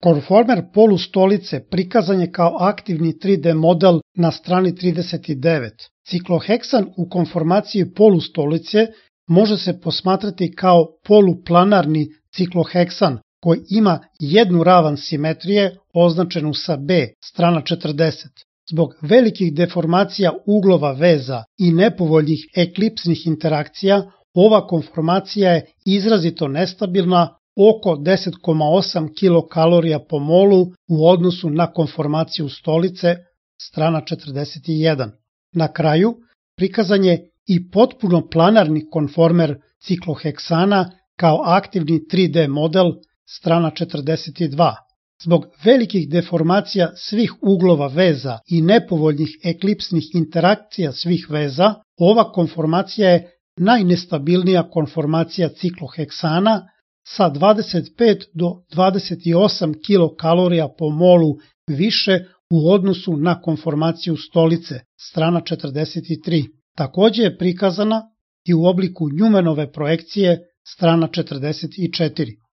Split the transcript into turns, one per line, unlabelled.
Konformer polustolice prikazan je kao aktivni 3D model na strani 39. Cikloheksan u konformaciji polustolice može se posmatrati kao poluplanarni cikloheksan koji ima jednu ravan simetrije označenu sa B, strana 40. Zbog velikih deformacija uglova veza i nepovoljnih eklipsnih interakcija, ova konformacija je izrazito nestabilna, oko 10,8 kilokalorija po molu u odnosu na konformaciju stolice, strana 41. Na kraju, prikazan je i potpuno planarni konformer cikloheksana kao aktivni 3D model, strana 42. Zbog velikih deformacija svih uglova veza i nepovoljnih eklipsnih interakcija svih veza, ova konformacija je najnestabilnija konformacija cikloheksana sa 25 do 28 kilokalorija po molu više u odnosu na konformaciju stolice, strana 43. Takođe je prikazana i u obliku Newmanove projekcije, strana 44.